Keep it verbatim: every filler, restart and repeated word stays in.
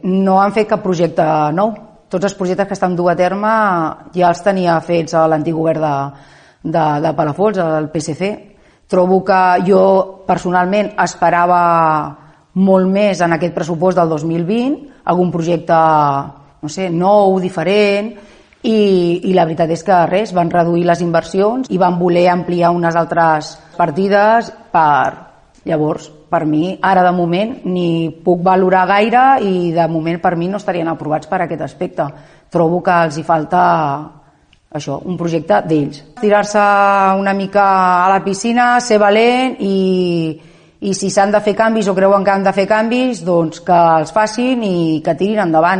no han fet cap projecte nou. Tots els projectes que estan dur a terme ja els tenia fets a l'antic govern de, de, de Palafolls, el P S C. Trobo que jo personalment esperava molt més en aquest pressupost del dos mil vint, algun projecte, no sé, nou, diferent, i, i la veritat és que res, van reduir les inversions i van voler ampliar unes altres partides per... Llavors, per mi, ara de moment, ni puc valorar gaire i de moment per mi no estarien aprovats per aquest aspecte. Trobo que els hi falta això, un projecte d'ells. Tirar-se una mica a la piscina, ser valent i, i si s'han de fer canvis o creuen que han de fer canvis, doncs que els facin i que tirin endavant.